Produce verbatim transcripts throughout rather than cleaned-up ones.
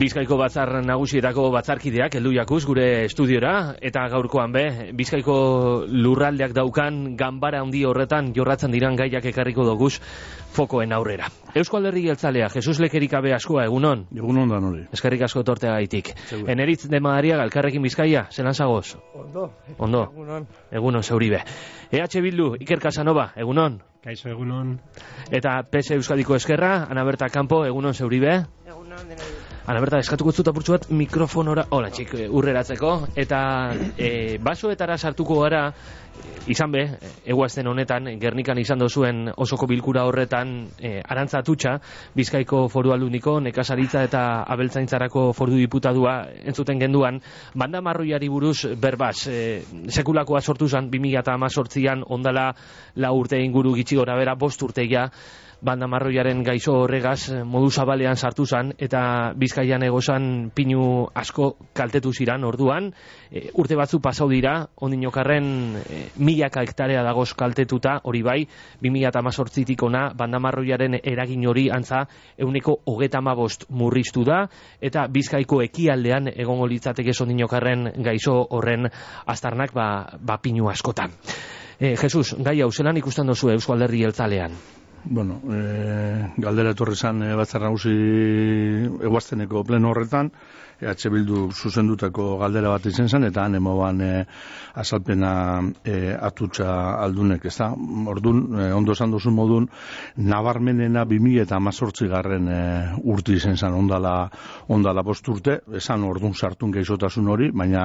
Bizkaiko batzar nagusietako batzarkideak heldu jakuz gure estudiora, eta gaurkoan be, Bizkaiko lurraldeak daukan ganbara handi horretan jorratzen diran gaiak ekarriko doguz fokoen aurrera. Eusko Alderdi Jeltzalea, Jesus Lekerikabe askoa, egunon? Egunon da nori. Eskerrik asko tortea gaitik. Eneritz de Madariaga, Elkarrekin Bizkaia, zelan zagoz? Ondo. Ondo. Egunon. Egunon, zeuribe. E H Bildu, Iker Casanova, egunon? Kaixo, egunon. Eta P S Euskadiko Eskerra, Ana Berta Campo, egunon, zeuribe? Egunon, denoi. Ana Berta, eskatuko zut apurtxu bat mikrofonora, hola txik, urreratzeko, eta e, basoetara sartuko gara, izan be, eguazten honetan, Gernikan izan dozuen osoko bilkura horretan, e, Arantza Atutxa, Bizkaiko Foru Aldundiko, Nekazaritza eta Abeltzaintzarako Foru Diputadua entzuten genduan, banda marroiari buruz berbaz, e, sekulakoa sortu zen, bi mila hemezortzian ondala la urte inguru gitxi gora bera, bost urteia, banda marroiaren gaixo horregaz modu zabalean sartu zen, eta Bizkaian egozan pinu asko kaltetu ziran orduan, e, urte batzu pasau dira, ondinokarren e, milaka hektarea dagoz kaltetuta, hori bai, bi mila hemezortzitik ona banda marroiaren eragin hori antza euneko hogeta hamabost murriztu da, eta Bizkaiko ekialdean egongo litzateke ondinokarren gaixo horren aztarnak ba, ba pinu askotan. E, Jesus, gai hau, zelan ikusten dozu Eusko Alderdi Jeltzalean? Bueno, e, galdera etorri zan e, batzar nagusi eguazteneko pleno horretan, E H Bildu zuzendutako galdera bat izen zen, eta han emoan e, azalpena e, Atutxa aldunek, ez da? Orduan, e, ondo esan duzun modun, nabarmenena bi mila hemezortzi garren e, urte izen zen, ondala, ondala bost urte, esan orduan sartun gaixotasun hori, baina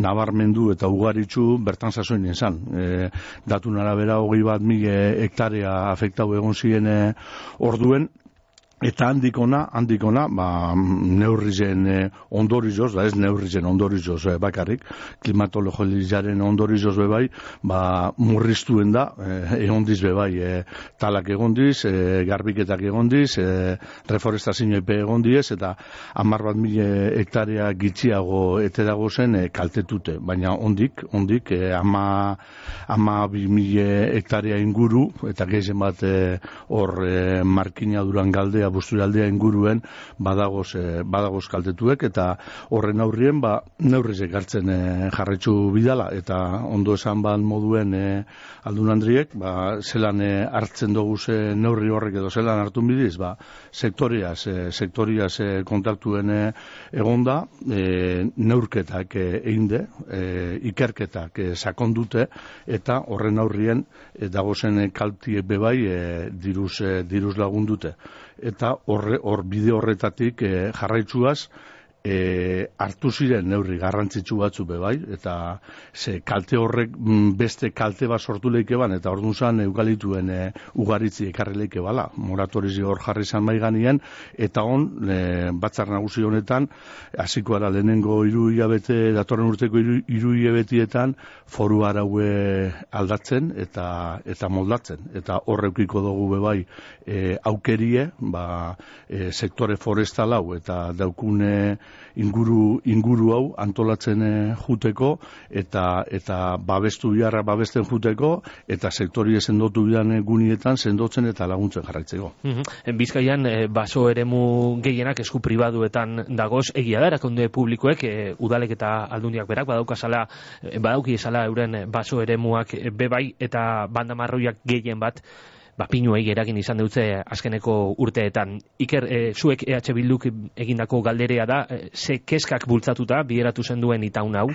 nabarmendu eta ugaritzu bertan zazoin izan. E, datun arabera hogei bat mila hektarea afektau egon ziren e, orduen, eta handikona, handikona, ba, neurrizen eh, ondorizoz, da ez neurrizen ondorizoz eh, bakarrik, klimatologiaren ondorizoz bebai, ba, murriztuen da, eh, egondiz bebai, eh, talak egondiz, eh, garbiketak egondiz, eh, reforestazio epe egondiz, eta hamar bat mila hektarea gitxiago ete dago zen eh, kaltetute, baina ondik, ondik, eh, ama, ama bi mila hektarea inguru, eta gehien bat hor eh, markina duran galdea Busturaldea inguruen badagoz, eh, badagoz kaltetuek, eta horren aurrien ba, neurrizek hartzen eh, jarraitzu bidala, eta ondo esan ban moduen eh, aldun handriek, ba, zelan eh, hartzen dugu ze neurri horrek edo zelan hartun bidiz, ba, sektoriaz, eh, sektoriaz eh, kontaktuen eh, egonda, eh, neurketak eh, einde, eh, ikerketak eh, sakondute, eta horren aurrien eh, dagozen eh, kaltiek bebai eh, diruz, eh, diruz lagundute. Eta horre, hor bide horretatik e, jarraitzuaz e, hartu ziren neurri garrantzitsu batzu bebai, eta ze kalte horrek beste kalte bat sortu leike ban, eta orduan zan eukalituen e, ugaritzi ekarri leike bala, moratorizi hor jarri zan maiganien, eta on e, batzar nagusi honetan, hasiko ara lehenengo hiru hilabete, datorren urteko hiru hilabetietan foru araue aldatzen eta eta moldatzen, eta horreukiko dugu bebai e, aukerie, ba, e, sektore forestal hau eta daukune inguru inguru hau antolatzen e, juteko eta eta babestu biharra babesten juteko eta sektorie sendotu bidan gunietan sendotzen eta laguntzen jarraitzeko. Mm-hmm. Bizkaian e, baso eremu gehienak esku pribaduetan dagoz, egia da erakunde publikoek e, udalek eta aldundiak berak badaukazala e, badauki esala euren baso eremuak e, bebai eta banda marroiak gehien bat ba, pinuei eragin izan dutze azkeneko urteetan. Iker, e, zuek E H Bilduk egindako galderea da, e, ze keskak bultzatuta bideratu zen duen itaun hau?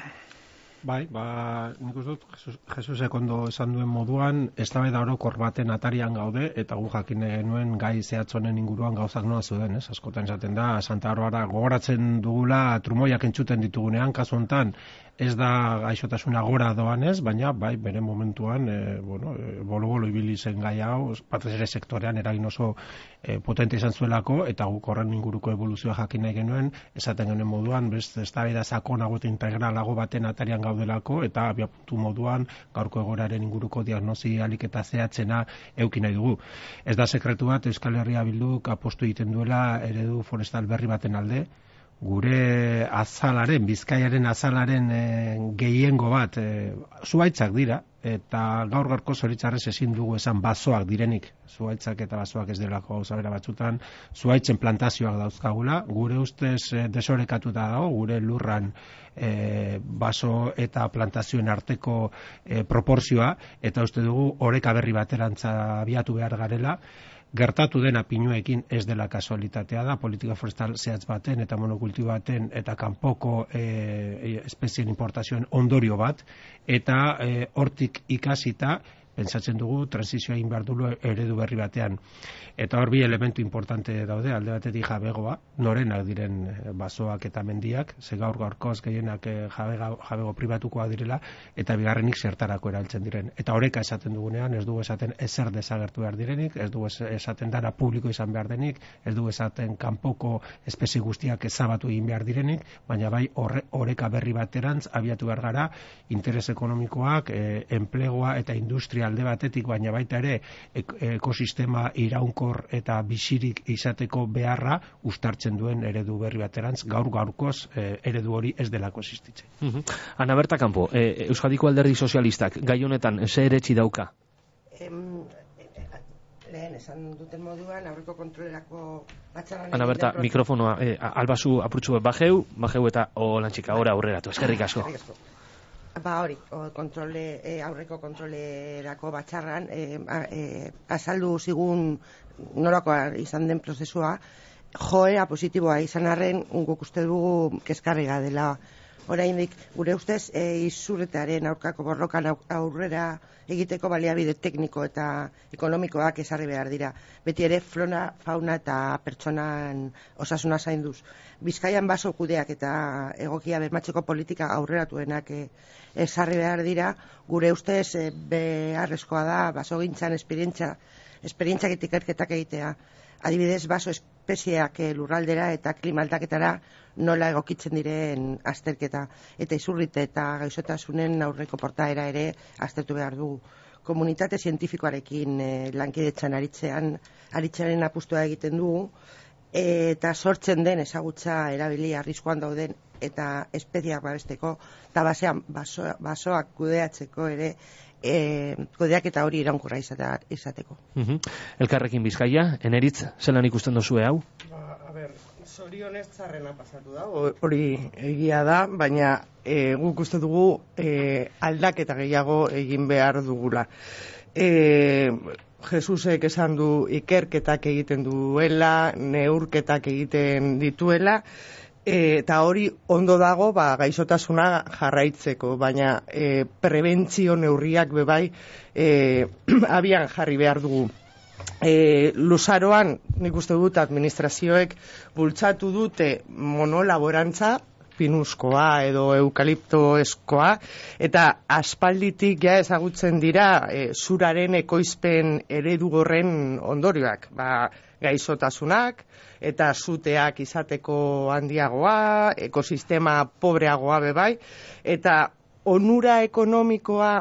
Bai, ba, nik uste dut, Jesus, Jesusek ondo esan duen moduan, eztabaida orokor baten atarian gaude, eta gu jakin genuen gai zehatzonen inguruan gauzak nola zeuden, ez? Askotan esaten da, Santa Barbara gogoratzen dugula trumoiak entzuten ditugunean, kasu hontan, ez da gaixotasuna gora doanez, baina bai bere momentuan e, bueno, e, bolo-bolo ibili zen gai hau, batez ere sektorean eragin oso e, potente izan zuelako, eta guk horren inguruko evoluzioa jakin nahi genuen, esaten genuen moduan, beste eztabaida sakonago eta integralago baten atarian gaudelako, eta abiapuntu moduan gaurko egoeraren inguruko diagnosi alik eta zehatzena euki nahi dugu. Ez da sekretu bat, Euskal Herria Bilduk apostu egiten duela eredu forestal berri baten alde, gure azalaren, Bizkaiaren azalaren e, gehiengo bat e, zuhaitzak dira, eta gaur gaurko zoritxarrez ezin dugu esan basoak direnik, zuhaitzak eta basoak ez delako gauza bera batzutan, zuhaitzen plantazioak dauzkagula, gure ustez e, desorekatuta dago, gure lurran e, baso eta plantazioen arteko e, proporzioa, eta uste dugu oreka berri baterantza abiatu behar garela. Gertatu dena pinuekin ez dela kasualitatea da, politika forestal zehatz baten eta monokultibo baten eta kanpoko e, espezien importazioen ondorio bat, eta e, hortik ikasita pentsatzen dugu transizioa egin behar dugu eredu berri batean. Eta hor bi elementu importante daude, alde batetik jabegoa, norenak diren basoak eta mendiak, ze gaur gaurkoz gehienak jabego, jabego pribatukoa direla, eta bigarrenik zertarako eraltzen diren. Eta oreka esaten dugunean, ez dugu esaten ezer desagertu behar direnik, ez dugu esaten dara publiko izan behar denik, ez dugu esaten kanpoko espezie guztiak ezabatu egin behar direnik, baina bai horre, oreka berri baterantz abiatu behar gara, interes ekonomikoak, e, enplegua eta industria alde batetik, baina baita ere ekosistema iraunkor eta bizirik izateko beharra uztartzen duen eredu berri baterantz, gaur gaurkoz eh, eredu hori ez delako existitzen. Uh-huh. Ana Berta Campo, eh, Euskadiko Alderdi Sozialistak gai honetan ze eretsi dauka? Em, lehen esan duten moduan aurreko kontrolerako batzarran... Ana Berta, mikrofonoa, eh, albazu apurtxu bajeu, bajeu eta holantxika, ora aurreratu, eskerrik asko. Ba hori, kontrole, e, aurreko kontrolerako batzarran e, a, e, azaldu zigun norakoa izan den prozesua, joera positiboa izan arren guk uste dugu kezkarriga dela. Oraindik gure ustez e, izurretaren aurkako borrokan aurrera egiteko baliabide tekniko eta ekonomikoak ezarri behar dira. Beti ere flora, fauna eta pertsonan osasuna zainduz. Bizkaian baso kudeak eta egokia bermatzeko politika aurreratuenak e, ezarri behar dira. Gure ustez e, beharrezkoa da basogintzan esperientzia esperientziak eta ikerketak egitea. Adibidez, baso espezieak lurraldera eta klima aldaketara nola egokitzen diren azterketa, eta izurrite eta gaixotasunen aurreko portaera ere aztertu behar dugu. Komunitate zientifikoarekin e, lankidetzan aritzean, aritzearen apustua egiten dugu, e, eta sortzen den ezagutza erabili arriskuan dauden eta espeziak babesteko, eta basean baso, basoak kudeatzeko ere, E, kudeak eta hori iraunkorra izateko. Uh-huh. Elkarrekin Bizkaia, Eneritz, zelan ikusten dozue hau? Ba, a ber, zorionez txarrena pasatu da, hori egia da, baina e, guk uste dugu e, aldaketa gehiago egin behar dugula. E, Jesusek esan du ikerketak egiten duela, neurketak egiten dituela, eta hori ondo dago ba, gaixotasuna jarraitzeko, baina e, prebentzio neurriak bebai e, abian jarri behar dugu. E, Luzaroan, nik uste dut administrazioek bultzatu dute monolaborantza, pinuskoa edo eukaliptoeskoa, eta aspalditik ja ezagutzen dira e, zuraren ekoizpen eredu horren ondorioak. Ba, gaixotasunak eta zuteak izateko handiagoa, ekosistema pobreagoa bebai, eta onura ekonomikoa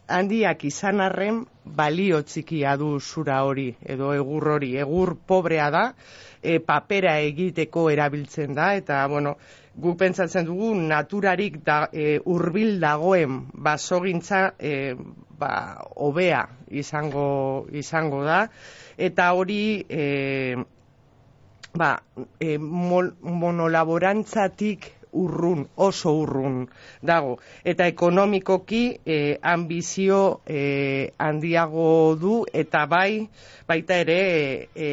handiak izan arren balio txikia du zura hori, edo egur hori, egur pobrea da, e, papera egiteko erabiltzen da, eta bueno, guk pentsatzen dugu naturarik da, e, hurbil dagoen basogintza e, ba, hobea izango, izango da, eta hori e, ba, e, mol, monolaborantzatik urrun, oso urrun dago. Eta ekonomikoki e, ambizio e, handiago du, eta bai, baita ere e,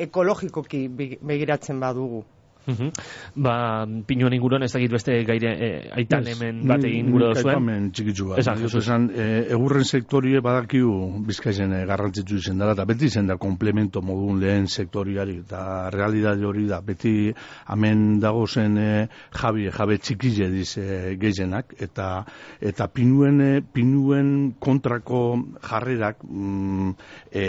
ekologikoki begiratzen badugu. Uh-huh. Ba, Pinuen inguruan ez dakit beste gaire e, aitan yes, hemen bat egin gure duzuen. Aipamen txikitzu bat. Esan, esan e, egurren sektorie badakiu Bizkaizen e, garrantzitsu izen dara, eta beti izen da komplemento modun lehen sektoriari, eta realidade hori da, beti hemen dago zen e, jabe, jabe txikile diz e, gehienak, eta, eta pinuen, e, pinuen kontrako jarrerak mm, e,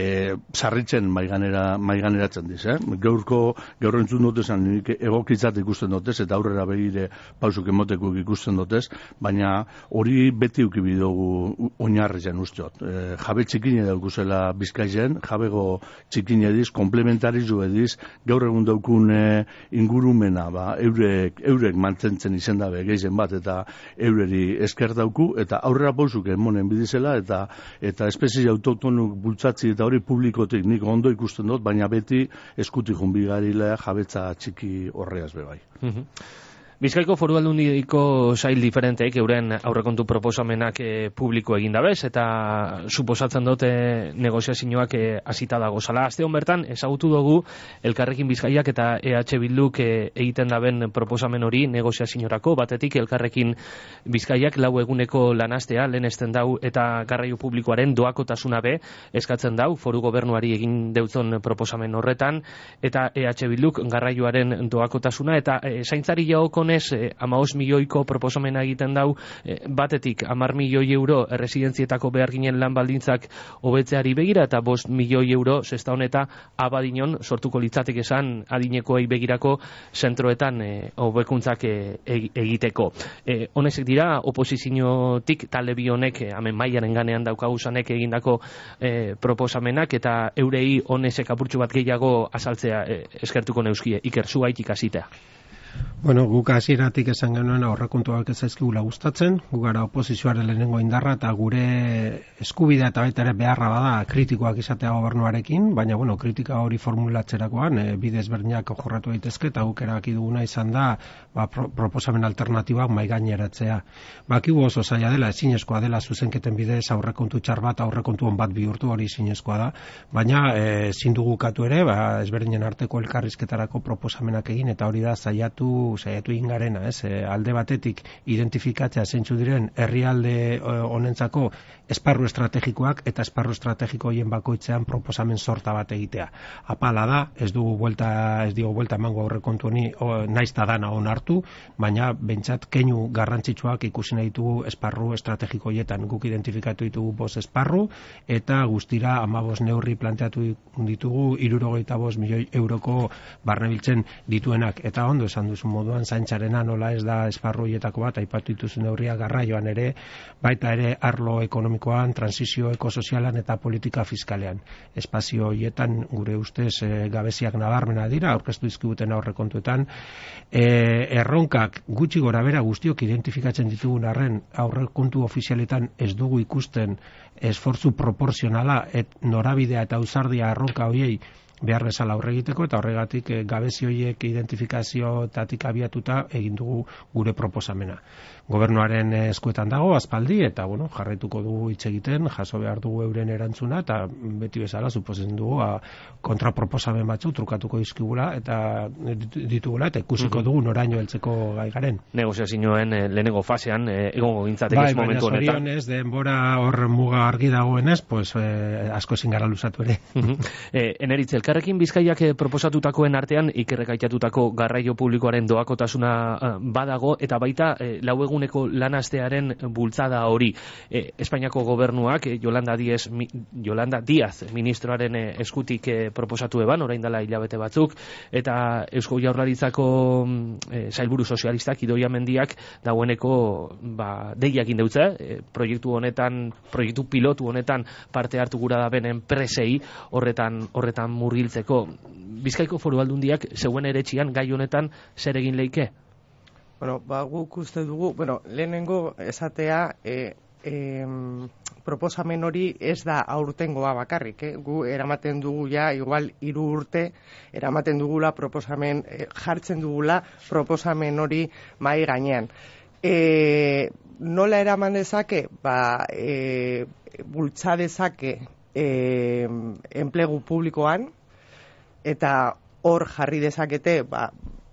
sarritzen maiganera, maiganeratzen diz, eh? Gaurko, gaur entzun dut esan, nik egokitzat ikusten dotez, eta aurrera begire pausuk emoteko ikusten dotez, baina hori beti ukibi dugu oinarrizen usteot. E, jabe txikine daukuzela Bizkaizen, jabego txikine ediz, komplementarizu ediz, gaur egun daukun e, ingurumena, ba, eurek, eurek mantentzen izen dabe geizen bat, eta eureri esker dauku, eta aurrera pausuk emonen bidizela, eta eta espezie autotonuk bultzatzi eta hori publikotik nik ondo ikusten dut, baina beti eskutik junbigarilea jabetza txiki horreaz bebai. Bizkaiko Foru Aldundiko sail diferenteek euren aurrekontu proposamenak e, publiko egin dabez, eta suposatzen dute negoziazioak e, hasita dago zala. Aste hon bertan, ezagutu dugu Elkarrekin Bizkaiak eta E H Bilduk e, egiten daben proposamen hori negoziaziorako, batetik Elkarrekin Bizkaiak lau eguneko lanastea lehenesten dau eta garraio publikoaren doakotasuna be eskatzen dau foru gobernuari egin deutzon proposamen horretan, eta E H Bilduk garraioaren doakotasuna eta e, zaintzari jaokon Eh, amaos milioiko proposamena egiten dau, eh, batetik amar milioi euro erresidentzietako behar ginen lan baldintzak hobetzeari begira, eta bost milioi euro zesta honeta abadinon sortuko litzatek esan adinekoei begirako zentroetan eh, hobekuntzak eh, egiteko. Eh, honezek dira, oposiziotik talde bi honek, eh, hemen mailaren ganean daukaguzanek egindako eh, proposamenak, eta eurei honezek apurtxu bat gehiago azaltzea eh, eskertuko neuskie, Iker, zu haitik asitea. Bueno, guk hasieratik esan genuen aurrekontuak ez zaizkigula gustatzen, gu gara oposizioaren lehenengo indarra eta gure eskubidea eta baita ere beharra bada kritikoak izatea gobernuarekin, baina bueno, kritika hori formulatzerakoan e, bide ezberdinak jorratu daitezke eta guk erabaki duguna izan da ba, pro, proposamen alternatibak mahai gaineratzea. Bakigu oso zaila dela, ezinezkoa dela zuzenketen bidez aurrekontu txar bat, aurrekontu on bat bihurtu, hori ezinezkoa da, baina ezin dugu ukatu ere, ba, ezberdinen arteko elkarrizketarako proposamenak egin eta hori da saiatu saiatu ingarena, ez? E, alde batetik identifikatzea zeintzu diren herrialde honentzako esparru estrategikoak eta esparru estrategiko hoien bakoitzean proposamen sorta bat egitea. Apala da, ez dugu buelta, ez digo buelta emango aurrekontu honi naizta dana onartu, baina bentsat keinu garrantzitsuak ikusi nahi ditugu esparru estrategiko hoietan. Guk identifikatu ditugu bost esparru eta guztira hamabost neurri planteatu ditugu hirurogeita bost milioi euroko barnebiltzen dituenak, eta ondo esan duzu moduan zaintzarena nola ez da esparru hoietako bat, aipatu dituzu neurria garraioan ere, baita ere arlo ekonomikoan, transizio ekosozialan eta politika fiskalean. Espazio hoietan gure ustez e, gabeziak nabarmena dira, aurkeztu dizkiguten aurrekontuetan, e, erronkak gutxi gora bera guztiok identifikatzen ditugun arren aurrekontu ofizialetan ez dugu ikusten esfortzu proporzionala et norabidea eta ausardia erronka hoiei behar bezala aurre egiteko, eta horregatik e, gabezi horiek identifikaziotatik abiatuta egin dugu gure proposamena. Gobernuaren eskuetan dago aspaldi, eta bueno, jarraituko dugu hitz egiten, jaso behar dugu euren erantzuna, eta beti bezala suposen dugu a, kontraproposamen batzu trukatuko dizkigula eta ditugula, eta ikusiko dugu noraino heltzeko gai garen. Negoziazioen eh, lehenengo fasean eh, egongo gintzatek ez momentu honetan. Bai, baina zorionez, denbora hor muga argi dagoenez, pues eh, asko ezin gara luzatu ere. eh, Eneritz, Elkarrekin Bizkaiak proposatutakoen artean ikerrek aitatutako garraio publikoaren doakotasuna uh, badago, eta baita eh, lau eguneko lanastearen bultzada hori. Eh, Espainiako gobernuak eh, Yolanda Díaz, mi, Yolanda Díaz ministroaren eh, eskutik eh, proposatu eban, orain dela hilabete batzuk, eta Eusko Jaurlaritzako eh, sailburu sozialistak Idoia Mendiak dagoeneko ba, deiak indeutza, eh, proiektu honetan, proiektu pilotu honetan parte hartu gura da benen presei horretan, horretan murgiltzeko. Bizkaiko Foru Aldundiak zeuen eretxian gai honetan zer egin leike? Bueno, ba, guk uste dugu, bueno, lehenengo esatea, e, e, proposamen hori ez da aurtengoa bakarrik, eh? Gu eramaten dugu ja, igual hiru urte, eramaten dugula proposamen, e, jartzen dugula proposamen hori mahai gainean. E, nola eraman dezake? Ba, e, bultza dezake e, enplegu publikoan, eta hor jarri dezakete ba,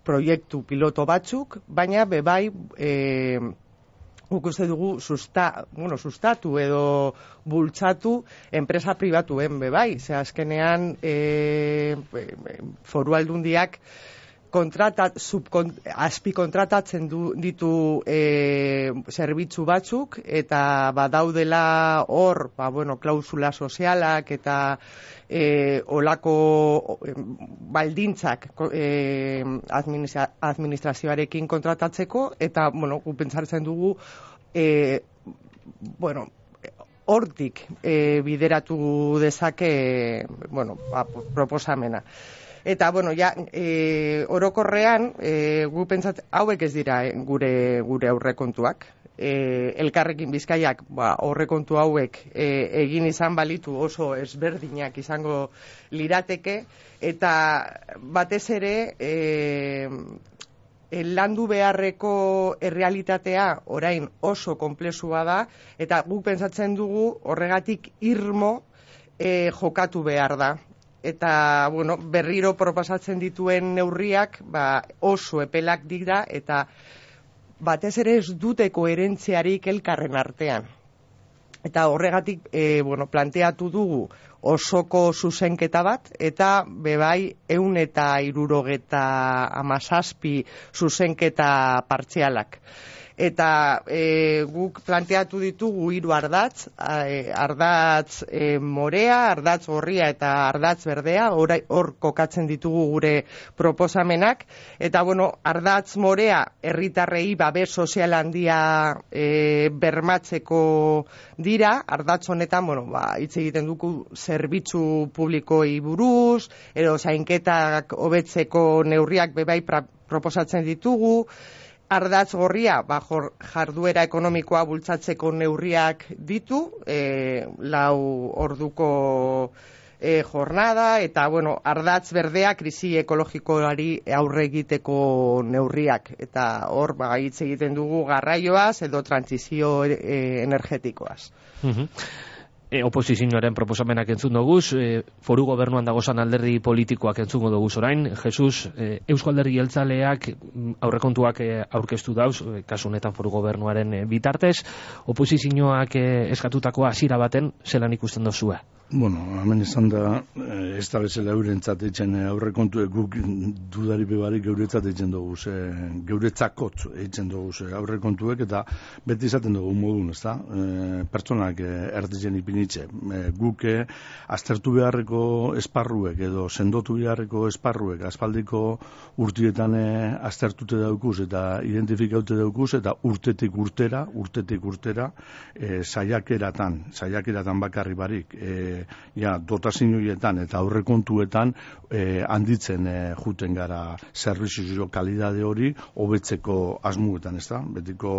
proiektu piloto batzuk, baina bebai e, guk uste dugu susta, bueno, sustatu edo bultzatu enpresa pribatuen bebai. Ze azkenean e, Foru Aldundiak kontratat, subkon, azpikontratatzen du, ditu e, zerbitzu batzuk, eta badaudela hor, ba, bueno, klausula sozialak eta e, olako e, baldintzak e, administra, administrazioarekin kontratatzeko, eta, bueno, gu pentsartzen dugu, e, bueno, hortik e, bideratu dezake, bueno, ba, proposamena. Eta, bueno, ja, e, orokorrean, e, gu pentsat, hauek ez dira e, gure gure aurrekontuak. E, Elkarrekin Bizkaiak, ba, aurrekontu hauek e, egin izan balitu oso ezberdinak izango lirateke, eta batez ere, e, landu beharreko errealitatea orain oso konplexua da, eta guk pentsatzen dugu horregatik irmo e, jokatu behar da. Eta, bueno, berriro proposatzen dituen neurriak ba, oso epelak dira, eta batez ere ez dute koherentziarik elkarren artean. Eta horregatik, e, bueno, planteatu dugu osoko zuzenketa bat, eta bebai ehun eta hirurogeta hamazazpi zuzenketa partzialak. Eta e, guk planteatu ditugu hiru ardatz, e, ardatz e, morea, ardatz gorria eta ardatz berdea, hor kokatzen ditugu gure proposamenak, eta bueno, ardatz morea herritarrei babes sozial handia e, bermatzeko dira, ardatz honetan, bueno, ba, hitz egiten dugu zerbitzu publikoi buruz, edo zainketak hobetzeko neurriak bebai pra, proposatzen ditugu. Ardatz gorria, ba, jarduera ekonomikoa bultzatzeko neurriak ditu, e, lau orduko e, jornada, eta, bueno, ardatz berdea krisi ekologikoari aurre egiteko neurriak. Eta hor, ba, hitz egiten dugu garraioaz edo trantsizio e, energetikoaz. Mhm. E, oposizioaren proposamenak entzun doguz, e, foru gobernuan dagozan alderdi politikoak entzungo doguz orain. Jesus, e, Eusko Alderdi Jeltzaleak aurrekontuak e, aurkeztu dauz, e, kasu honetan foru gobernuaren e, bitartez, oposizioak e, eskatutakoa hasiera baten zelan ikusten dozue? Bueno, hemen izan da, ez da bezala eurentzat eitzen aurrekontu guk dudari bebarik geuretzat eitzen dugu, geuretzakot eitzen dugu aurrekontuek, eta beti izaten dugu modun, ez da? E, pertsonak erditzen ipinitze. E, guk e, aztertu beharreko esparruek edo sendotu beharreko esparruek aspaldiko urtietan e, aztertute daukuz eta identifikaute daukuz, eta urtetik urtera, urtetik urtera, e, saiakeratan, saiakeratan bakarri barik, e, ja, dotazioetan eta aurrekontuetan eh, handitzen eh, juten gara zerbitzu kalidade hori hobetzeko asmuetan, ez da? Betiko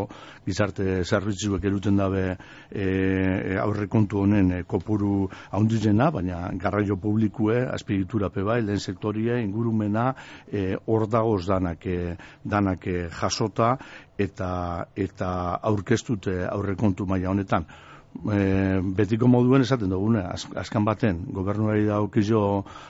gizarte zerbitzuek eruten dabe eh, aurrekontu honen eh, kopuru handitzena, baina garraio publikue, azpiegitura bai, lehen sektorie, ingurumena, eh, hor dagoz danak, eh, danak eh, jasota eta, eta aurkeztute aurrekontu maila honetan. E, betiko moduen esaten dugune, azkan baten gobernuari da aukizio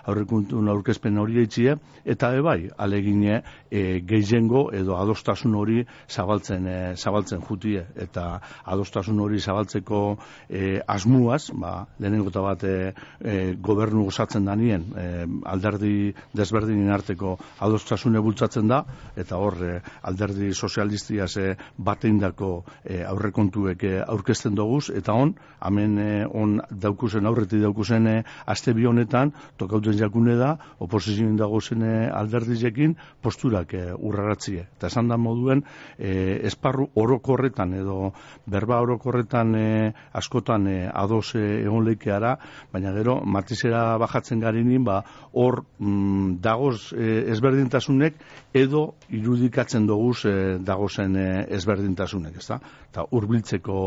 aurrekuntun aurkezpen hori eitzie, eta ebai, alegine e, gehiengo edo adostasun hori zabaltzen, e, zabaltzen jutie, eta adostasun hori zabaltzeko e, asmuaz, ba, lehenengo eta bat e, e, gobernu osatzen danien, e, alderdi desberdinen arteko adostasune bultzatzen da, eta hor e, alderdi sozialistiaz e, bateindako e, aurrekontuek e, aurkezten doguz, eta on, hemen eh, on daukuzen, aurretik daukuzen eh, aste bi honetan, tokauten jakune da, oposizioen dagozen eh, alderdizekin posturak eh, urraratzie. Eta esan da moduen, eh, esparru orokorretan edo berba orokorretan eh, askotan eh, ados eh, egon leikeara, baina gero matizera bajatzen garinin, ba, hor mm, dagoz eh, ezberdintasunek edo irudikatzen doguz eh, dagozen eh, ezberdintasunek, ezta? Eta hurbiltzeko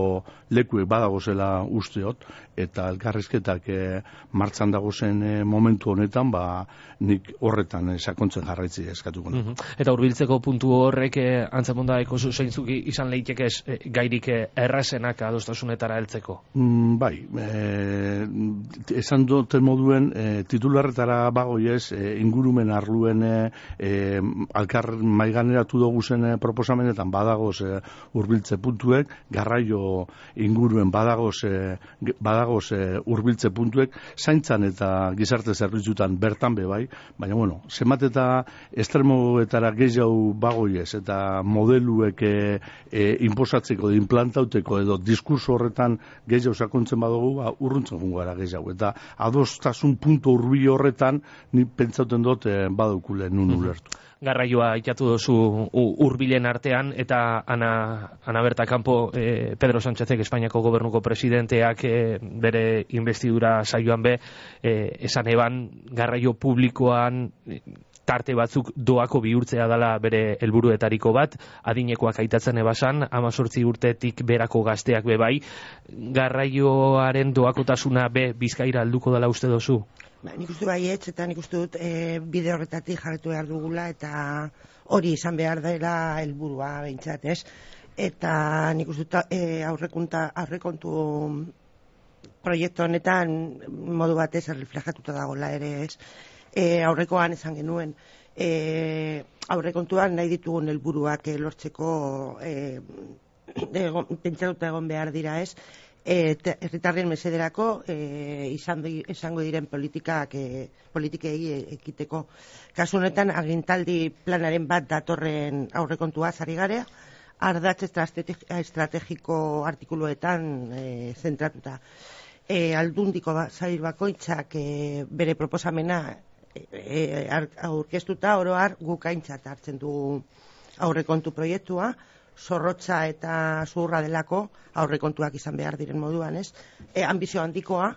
lekuek badagozela usteot, eta elkarrizketak e, martzan dagozen e, momentu honetan, ba, nik horretan e, sakontzen jarraitzi eskatuko. Mm-hmm. Eta hurbiltzeko puntu horrek e, antzemonda eko zeintzuk izan leitek ez e, gairik e, errazenak adostasunetara heltzeko? Mm, bai, e, esan duten moduen e, titularretara bagoiez e, ingurumen arluen e, e, alkar maiganeratu dugu zen e, proposamenetan badagoz e, hurbiltze puntuek, garraio inguruen badagoz, e, badagoz e, urbiltze puntuek, zaintzan eta gizarte zerbitzutan bertan be bai, baina bueno, zenbat eta estremoetara gehiago bagoiez eta modeluek e, e, inposatzeko, implantauteko edo diskurso horretan gehiago sakontzen badugu, ba, urruntzen gungo gara gehiago. Eta adostasun puntu urbi horretan, ni pentsauten dut e, badukule nun ulertu. Garraioa itatu duzu hurbilen artean, eta Ana, Ana Berta Campo, eh, Pedro Sánchezek, Espainiako gobernuko presidenteak eh, bere investidura saioan be, eh, esan eban garraio publikoan eh, tarte batzuk doako bihurtzea dela bere helburuetariko bat, adinekoak aitatzen ebasan, amazortzi urtetik berako gazteak be bai, garraioaren doakotasuna be Bizkaira alduko dela uste dozu? Ba, nik uste baietz, eta nik uste dut e, bide horretatik jarretu behar dugula, eta hori izan behar dela helburua behintzat, ez? Eta nik uste dut e, aurrekunta, aurrekontu proiektu honetan modu batez erreflejatuta dagoela ere, ez? E, aurrekoan esan genuen, e, aurrekontuan nahi ditugun helburuak e, lortzeko e, pentsatuta egon behar dira, ez? Herritarren mesederako e, izan, izango diren politikak e, politikei ekiteko. Kasu honetan agintaldi planaren bat datorren aurrekontua zari garea, ardatz estrategiko artikuluetan e, zentratuta. E, aldundiko ba, zail bakoitzak e, bere proposamena e, aurkeztuta oro har guk aintzat hartzen du aurrekontu proiektua, zorrotza eta zurra delako aurrekontuak izan behar diren moduan, ez? E, ambizio handikoa,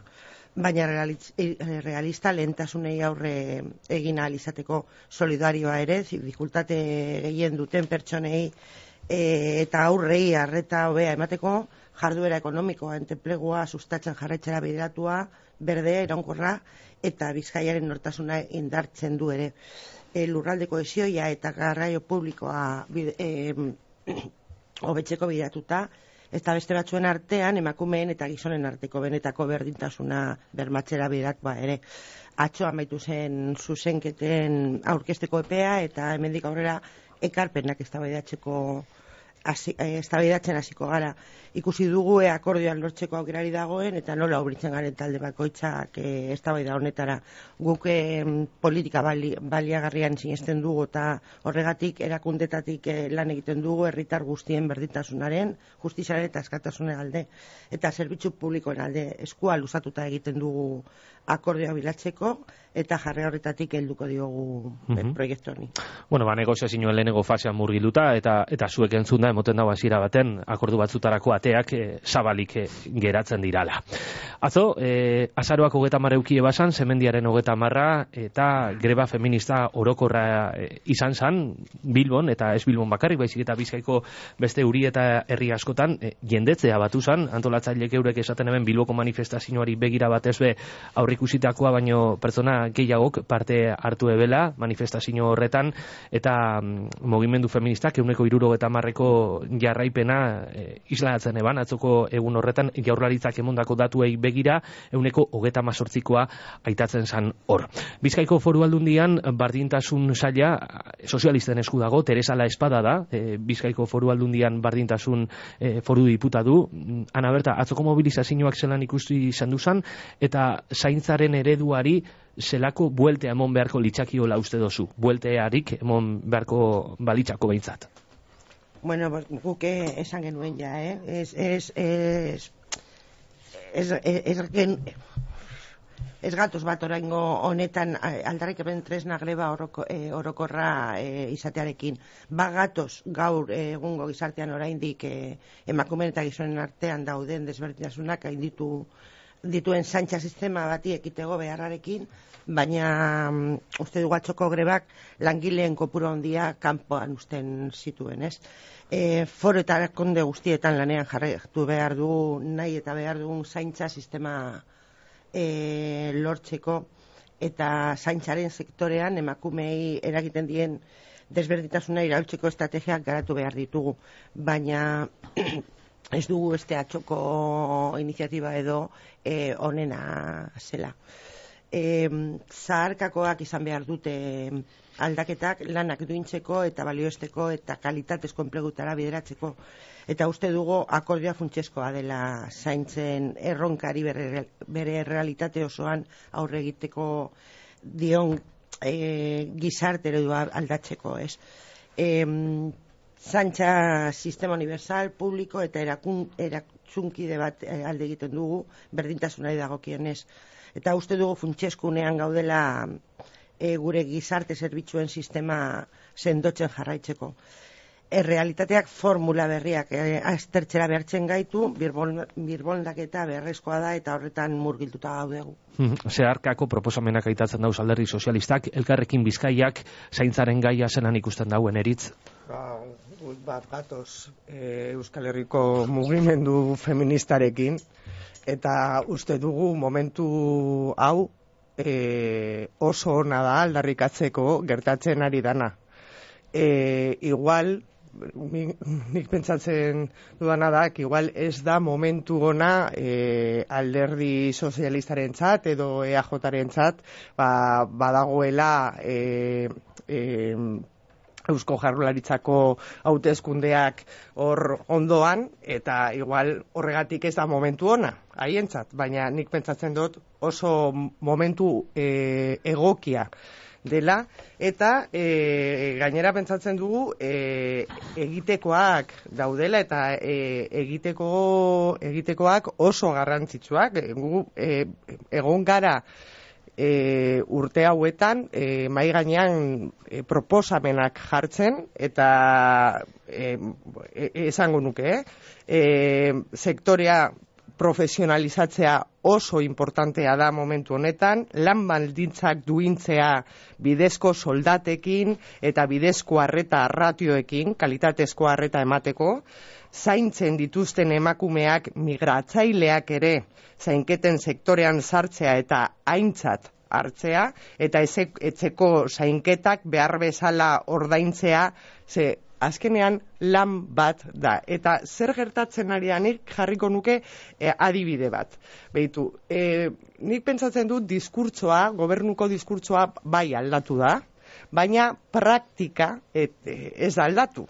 baina realista lehentasunei aurre egin ahal izateko, solidarioa ere, dificultate gehien duten pertsonei e, eta aurrei arreta hobea emateko, jarduera ekonomikoa, enplegua sustatzen jarraitzera bideratua, berdea, iraunkorra, eta Bizkaiaren nortasuna indartzen du ere. E, lurralde kohesioa eta garraio publikoa bide, e, hobetzeko bidatuta, eta beste batzuen artean emakumeen eta gizonen arteko benetako berdintasuna bermatzera bideratua ere. Atzo amaitu zen zuzenketen aurkezteko epea, eta hemendik aurrera ekarpenak eztabaidatzeko eztabaidatzen hasiko gara. Ikusi dugu e akordioan lortzeko aukerari dagoen, eta nola obritzen garen talde bakoitzak e, eztabaida honetara. Guk e, politika bali, baliagarrian sinesten dugu, eta horregatik erakundetatik e, lan egiten dugu herritar guztien berdintasunaren, justiziaren eta askatasunaren alde, eta zerbitzu publikoen alde eskua luzatuta egiten dugu akordioa bilatzeko, eta jarre horretatik helduko diogu mm-hmm. proiektu honi. Bueno, ba, negoziazioen lehenengo fasean murgilduta, eta eta zuek entzun da, emoten dago hasiera baten, akordu batzutarako ateak e, zabalik e, geratzen dirala. Atzo, e, azaroak hogeta marra eukie basan, zemendiaren hogeta marra, eta greba feminista orokorra e, izan zan, Bilbon, eta ez Bilbon bakarrik, baizik eta Bizkaiko beste uri eta herri askotan, e, jendetzea batu zan, antolatzailek eurek esaten hemen Bilboko manifestazioari begira batez be aurrikusitakoa, baino pertsona gehiagok parte hartu ebela manifestazio horretan, eta mm, mugimendu feministak euneko hirurogeta marreko jarraipena e, islatzen eban, atzoko egun horretan Jaurlaritzak emondako datuei begira euneko hogeta mazortzikoa aitatzen zan hor. Bizkaiko Foru Aldundian bardintasun saila sozialisten esku dago, Teresa La Espada da, e, Bizkaiko Foru Aldundian bardintasun e, foru diputatu. Ana Berta, atzoko mobilizazioak zelan ikusti izan duzan, eta zaintzaren ereduari zelako bueltea emon beharko litzakiola uste dozu? Bueltearik emon beharko balitzako behintzat. Bueno, guk esan genuen ja, eh? Ez, ez, ez, ez, ez, ez, ez gatoz bat oraingo honetan aldarrikapen tresna greba oroko, e, orokorra e, izatearekin. Ba gatoz gaur egungo gizartean oraindik e, emakumeen eta gizonen artean dauden desberdintasunak gainditu dituen zaintza sistema bati ekitego beharrarekin, baina um, uste dugu atzoko grebak langileen kopuru handia kanpoan usten zituen, ez? E, foro eta erakunde guztietan lanean jarraitu behar du nahi eta behar dugun zaintza sistema e, lortzeko, eta zaintzaren sektorean emakumei eragiten dien desberdintasuna iraultzeko estrategiak garatu behar ditugu, baina ez dugu beste atxoko iniziatiba edo e, onena zela. e, zaharkakoak izan behar dute aldaketak lanak duintzeko eta balioesteko eta kalitatezko enplegutara bideratzeko. Eta uste dugu akordioa funtsezkoa dela zaintzen erronkari bere, bere realitate osoan aurre egiteko dion e, gizarte eredua aldatzeko, ez? E, Zaintza sistema universal, publiko eta erakun, erakutsunkide bat alde egiten dugu, berdintasunari dagokionez. Eta uste dugu funtsezkunean gaudela e, gure gizarte zerbitzuen sistema sendotzen jarraitzeko. Errealitateak formula berriak e, aztertzera behartzen gaitu, birboldaketa beharrezkoa da eta horretan murgilduta gaudegu. Zeharkako proposamenak aitatzen dauz alderdi sozialistak, Elkarrekin Bizkaiak zaintzaren gaia zelan ikusten dauen eritz? Ba, bat gatoz e, Euskal Herriko mugimendu feministarekin, eta uste dugu momentu hau e, oso ona da aldarrikatzeko gertatzen ari dana. E, igual, nik, nik pentsatzen dudana da, igual ez da momentu ona e, alderdi sozialistaren txat edo E A Jaren txat, ba, badagoela e, e, Eusko Jaurlaritzako hauteskundeak hor ondoan, eta igual horregatik ez da momentu ona, haientzat, baina nik pentsatzen dut oso momentu e, egokia dela, eta e, gainera pentsatzen dugu e, egitekoak daudela eta e, egiteko egitekoak oso garrantzitsuak. Gu e, egon gara e, urte hauetan e, mai gainean e, proposamenak jartzen eta e, e, esango nuke, eh? E, sektorea profesionalizatzea oso importantea da momentu honetan, lan baldintzak duintzea bidezko soldatekin eta bidezko arreta ratioekin, kalitatezko arreta emateko, zaintzen dituzten emakumeak migratzaileak ere zainketen sektorean sartzea eta aintzat hartzea, eta etzeko zainketak behar bezala ordaintzea, ze azkenean lan bat da. Eta zer gertatzen ari da, nik jarriko nuke e, adibide bat. Beitu, e, nik pentsatzen dut diskurtsoa, gobernuko diskurtsoa bai aldatu da, baina praktika et, e, ez aldatu.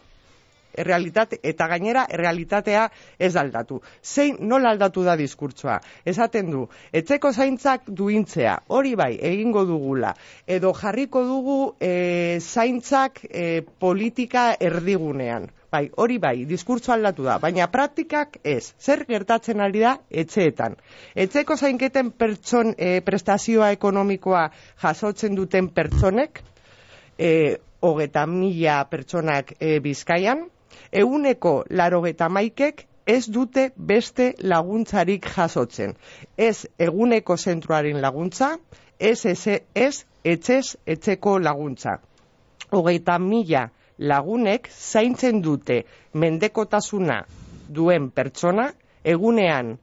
Errealitate, eta gainera errealitatea ez aldatu. Zein nola aldatu da diskurtsoa? Esaten du, etzeko zaintzak duintzea, hori bai, egingo dugula, edo jarriko dugu e, zaintzak e, politika erdigunean. Bai, hori bai, diskurtsoa aldatu da, baina praktikak ez. Zer gertatzen ari da etxeetan? Etzeko zainketen pertson, e, prestazioa ekonomikoa jasotzen duten pertsonek, e, hogeta mila pertsonak e, Bizkaian, euneko larogeta maikek ez dute beste laguntzarik jasotzen. Ez eguneko zentroaren laguntza, ez, ez, ez etxez etxeko laguntza. Hogeita mila lagunek zaintzen dute mendekotasuna duen pertsona, egunean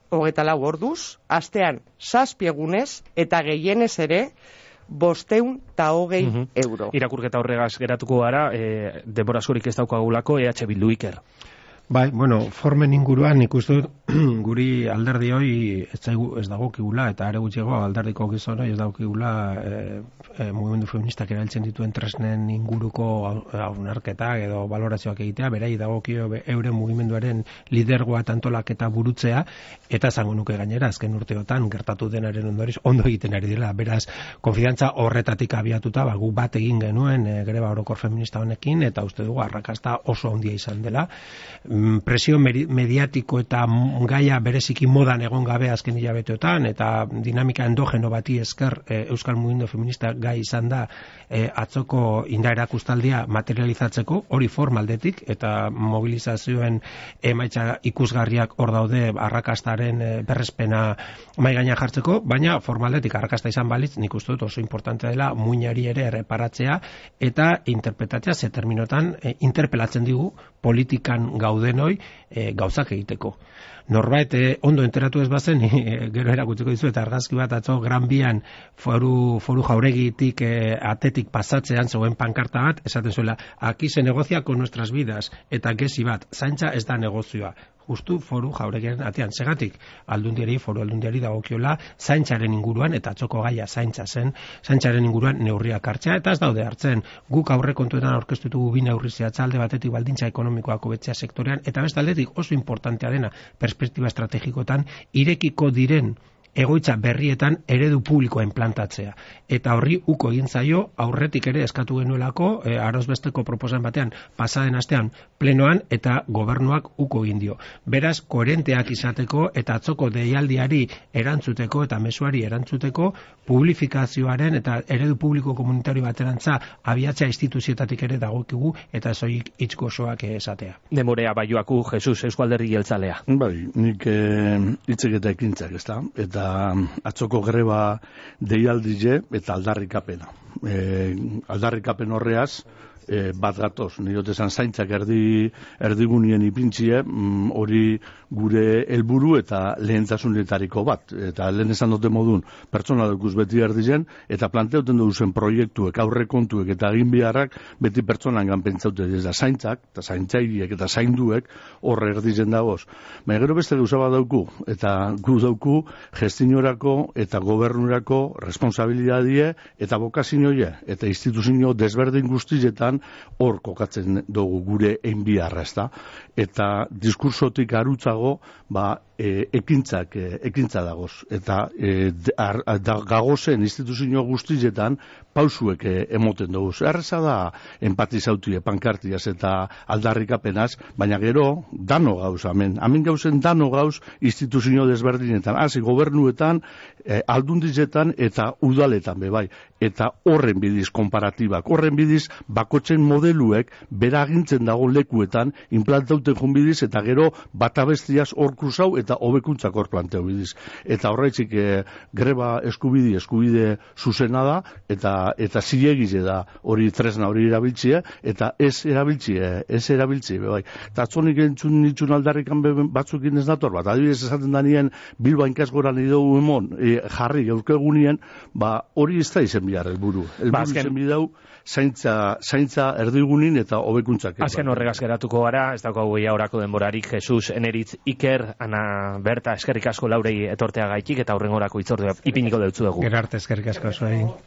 hogeita lau orduz, astean zazpi egunez eta gehienez ere, bosteun eta hogei mm -hmm. euro. Irakurketa horregaz geratuko gara, e, denbora askorik ez daukagulako, E H Bildu Iker. Bai, bueno, formen inguruan ikusten guri alderdi hori ez zaigu ez dagokigula eta are gutxiago alderdiko gizona ez dagokigula e, e, mugimendu feministak erabiltzen dituen tresnen inguruko hausnarketak edo balorazioak egitea, berai dagokio euren mugimenduaren lidergoa eta antolaketa burutzea, eta esango nuke gainera azken urteotan gertatu denaren ondoriz ondo egiten ari dela. Beraz, konfidantza horretatik abiatuta, ba, gu bat egin genuen e, greba orokor feminista honekin, eta uste dugu arrakasta oso handia izan dela. Presio mediatiko eta gaia bereziki modan egon gabe azken hilabeteotan, eta dinamika endogeno bati esker e, Euskal Mugimendu Feminista gai izan da e, atzoko indar erakustaldia materializatzeko, hori formaldetik, eta mobilizazioen emaitza ikusgarriak hor daude arrakastaren e, berrespena mai gaina jartzeko, baina formaldetik arrakasta izan balitz, nik uste dut oso importante dela muinari ere erreparatzea eta interpretatzea, ze terminotan e, interpelatzen digu politikan gaude denoi e, gauzak egiteko. Norbait e, ondo enteratu ez bazen, e, gero erakutzeko dizu eta argazki bat atzo Gran Bian foru, foru jauregitik e, atetik pasatzean zegoen pankarta bat, esaten zuela, aquí se negocia con nuestras vidas, eta gezi bat, zaintza ez da negozioa. ustu foru jauregiaren atean. Segatik, aldundiari, foru aldundiari dagokiola zaintzaren inguruan, eta atzoko gaia zaintza zen, zaintzaren inguruan neurriak hartzea, eta ez daude hartzen. Guk aurrekontuetan aurkeztu dugu bi neurri zehatza, alde batetik baldintza ekonomikoak hobetzea sektorean, eta beste aldetik oso importantea dena perspektiba estrategikotan irekiko diren egoitza berrietan eredu publikoa implantatzea. Eta horri uko egin zaio, aurretik ere eskatu genuelako, e, arozbesteko proposan batean, pasaden astean plenoan, eta gobernuak uko egin dio. Beraz, koherenteak izateko, eta atzoko deialdiari erantzuteko, eta mezuari erantzuteko, publifikazioaren eta eredu publiko komunitario baterantza abiatzea instituzioetatik ere dagokigu, eta zoik hitz gozoak esatea. Demorea Baioaku, Jesus, Eusko Alderdi Jeltzalea. Bai, nik hitzek eta ekintzak, ezta? Eta atzoko greba deialdize eta aldarrikapena. E, aldarrikapen horreaz, e, bat gatoz, nire esan zaintzak erdi, erdigunien ipintzie, hori mm, gure helburu eta lehentasunetariko bat. Eta lehen esan dute modun, pertsona dukuz beti erdizen, eta planteuten duzen proiektuek, aurrekontuek eta egin biharrak beti pertsonan ganpentzaute ez da zaintzak, eta zaintzairiek eta zainduek horre erdizen dagoz. Baina gero beste gauza bat dauku, eta gu dauku gestinorako eta gobernurako responsabilidadie eta bokazinoie, eta instituzio desberdin guztietan hor kokatzen dugu gure enbiarra, ezta? Eta diskursotik arutzago, ba, e, ekintzak, e, ekintza dagoz. Eta e, ar, da, gagozen instituzio guztietan pausuek e, emoten dugu. Erreza da empatizautie, pankartiaz eta aldarrikapenaz, baina gero dano gauz, amen. Amen gauzen dano gauz instituzio desberdinetan, hasi gobernuetan, e, aldundizetan eta udaletan bebai. Eta horren bidiz konparatibak, horren bidiz bakotzen modeluek bera agintzen dago lekuetan implantauten joan bidiz, eta gero batabestiaz hor kruzau eta hobekuntzak hor planteo bidiz. Eta horretzik e, greba eskubide, eskubide zuzena da, eta eta zilegize da hori tresna hori erabiltzie, eta ez erabiltzie, ez erabiltzie, bai. Eta atzonik entzun nitzun aldarrikan batzukin ez dator, bat adibidez esaten da nien Bilba inkasgoran idogu emon, e, jarri gaurkegunien, ba hori ez da izen bihar helburu. Helburu izen bidau, zaintza, zaintza erdigunin eta hobekuntzak. Azken horregaz geratuko gara, ez daukagu ia orako denborarik, Jesus, Eneritz, Iker, Ana Berta, eskerrik asko Laurei etortea gaitik, eta aurrengorako itzordua ipiniko deutzu dugu. Gerarte eskerrik asko zuei.